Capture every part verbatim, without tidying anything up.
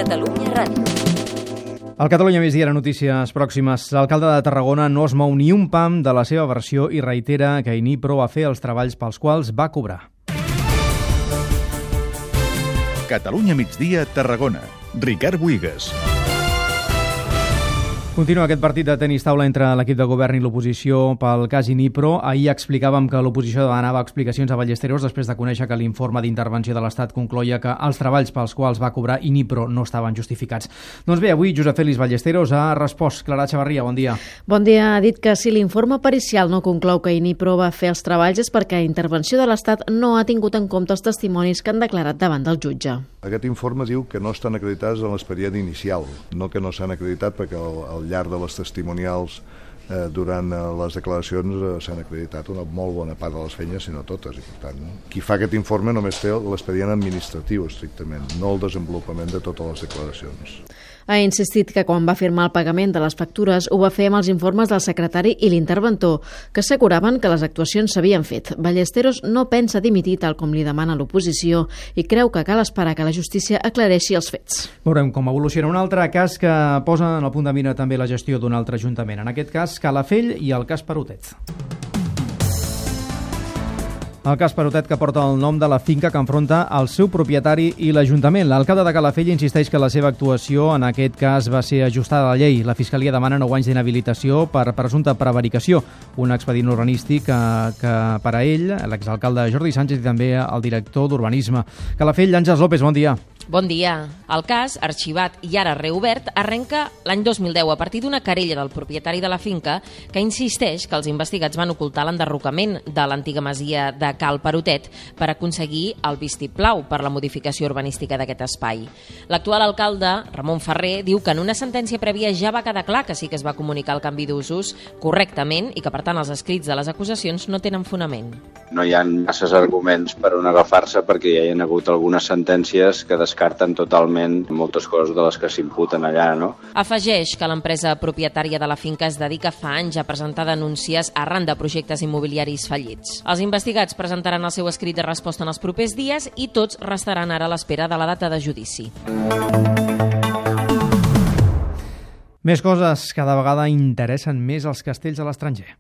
Catalunya Ràdio. Al Catalunya Migdia, notícies pròximes. L'alcalde de Tarragona no es mou ni un pam de la seva versió i reitera que Inipro va fer els treballs pels quals va cobrar. Catalunya Migdia, Tarragona. Ricard Buigas. Continua aquest partit de tenis taula entre l'equip de govern i l'oposició pel cas Inipro. Ahir explicàvem que l'oposició demanava explicacions a Ballesteros després de conèixer que l'informe d'intervenció de l'Estat concloia que els treballs pels quals va cobrar Inipro no estaven justificats. Doncs bé, avui Josep Félix Ballesteros ha respost. Clara Chavarria, bon dia. Bon dia. Ha dit que si l'informe pericial no conclou que Inipro va fer els treballs és perquè la intervenció de l'Estat no ha tingut en compte els testimonis que han declarat davant del jutge. Aquest informe diu que no estan acreditats en l'expedient inicial, no que no s'han acreditat perquè al, al llarg de les testimonials eh, durant eh, les declaracions eh, s'han acreditat una molt bona part de les feines, si no totes, i per tant, qui fa aquest informe només té l'expedient administratiu estrictament, no el desenvolupament de totes les declaracions. Ha insistit que quan va firmar el pagament de les factures ho va fer amb els informes del secretari i l'interventor, que asseguraven que les actuacions s'havien fet. Ballesteros no pensa dimitir tal com li demana l'oposició i creu que cal esperar que la justícia aclareixi els fets. Veurem com evoluciona un altre cas que posa en el punt de mira també la gestió d'un altre ajuntament. En aquest cas, Calafell i el cas Perotet. El cas Perotet, que porta el nom de la finca que enfronta el seu propietari i l'Ajuntament. L'alcalde de Calafell insisteix que la seva actuació en aquest cas va ser ajustada a la llei. La Fiscalia demana nou anys d'inhabilitació per presumpta prevaricació, un expedient urbanístic que, que per a ell, l'exalcalde Jordi Sánchez i també el director d'Urbanisme. Calafell, Àngels López, bon dia. Bon dia. El cas, arxivat i ara reobert, arrenca l'any dos mil deu a partir d'una querella del propietari de la finca que insisteix que els investigats van ocultar l'enderrocament de l'antiga masia de Cal Perotet per aconseguir el vistiplau per la modificació urbanística d'aquest espai. L'actual alcalde, Ramon Ferrer, diu que en una sentència prèvia ja va quedar clar que sí que es va comunicar el canvi d'usos correctament i que, per tant, els escrits de les acusacions no tenen fonament. No hi ha masses arguments per on agafar-se perquè ja hi ha hagut algunes sentències que descarten totalment moltes coses de les que s'imputen allà, no? Afegeix que l'empresa propietària de la finca es dedica fa anys a presentar denúncies arran de projectes immobiliaris fallits. Els investigats presentaran el seu escrit de resposta en els propers dies i tots restaran ara a l'espera de la data de judici. Més coses, cada vegada interessen més els castells a l'estranger.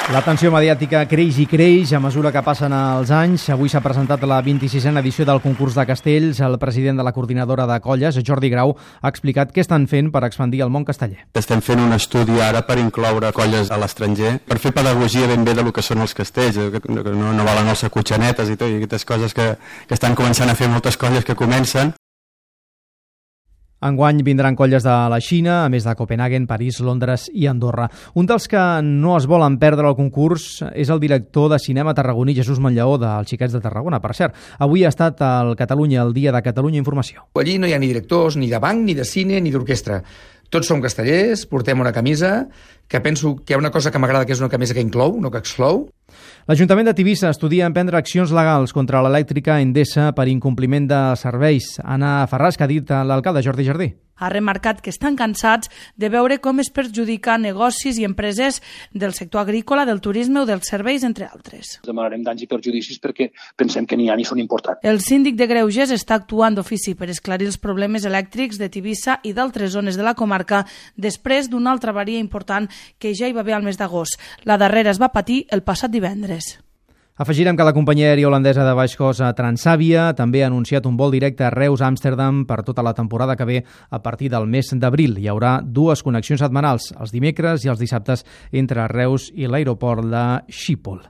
La tensió mediàtica creix i creix a mesura que passen els anys. Avui s'ha presentat la vint-i-sisena edició del concurs de castells. El president de la coordinadora de colles, Jordi Grau, ha explicat què estan fent per expandir el món casteller. Estem fent un estudi ara per incloure colles a l'estranger, per fer pedagogia ben bé del que són els castells, que no, no valen els acotxanetes i tot, i aquestes coses que, que estan començant a fer moltes colles que comencen. Enguany vindran colles de la Xina, a més de Copenhagen, París, Londres i Andorra. Un dels que no es volen perdre el concurs és el director de cinema tarragoní, Jesús Monllaó, dels Xiquets de Tarragona. Per cert, avui ha estat al Catalunya, el dia de Catalunya Informació. Allí no hi ha ni directors, ni de banc, ni de cine, ni d'orquestra. Tots som castellers, portem una camisa, que penso que hi ha una cosa que m'agrada, que és una camisa que inclou, no que exclou. L'Ajuntament de Tivissa estudia emprendre accions legals contra l'elèctrica Endesa per incompliment de serveis. Anna Ferràs, que ha dit l'alcalde Jordi Jardí. Ha remarcat que estan cansats de veure com es perjudica negocis i empreses del sector agrícola, del turisme o dels serveis, entre altres. Demanarem danys i perjudicis perquè pensem que n'hi ha i són importants. El síndic de Greuges està actuant d'ofici per esclarir els problemes elèctrics de Tivissa i d'altres zones de la comarca després d'una altra avaria important que ja hi va haver al mes d'agost. La darrera es va patir el passat divendres. Afegirem que la companyia aèria holandesa de baix cost Transavia també ha anunciat un vol directe a Reus-Amsterdam per tota la temporada que ve a partir del mes d'abril. Hi haurà dues connexions setmanals, els dimecres i els dissabtes, entre Reus i l'aeroport de Schiphol.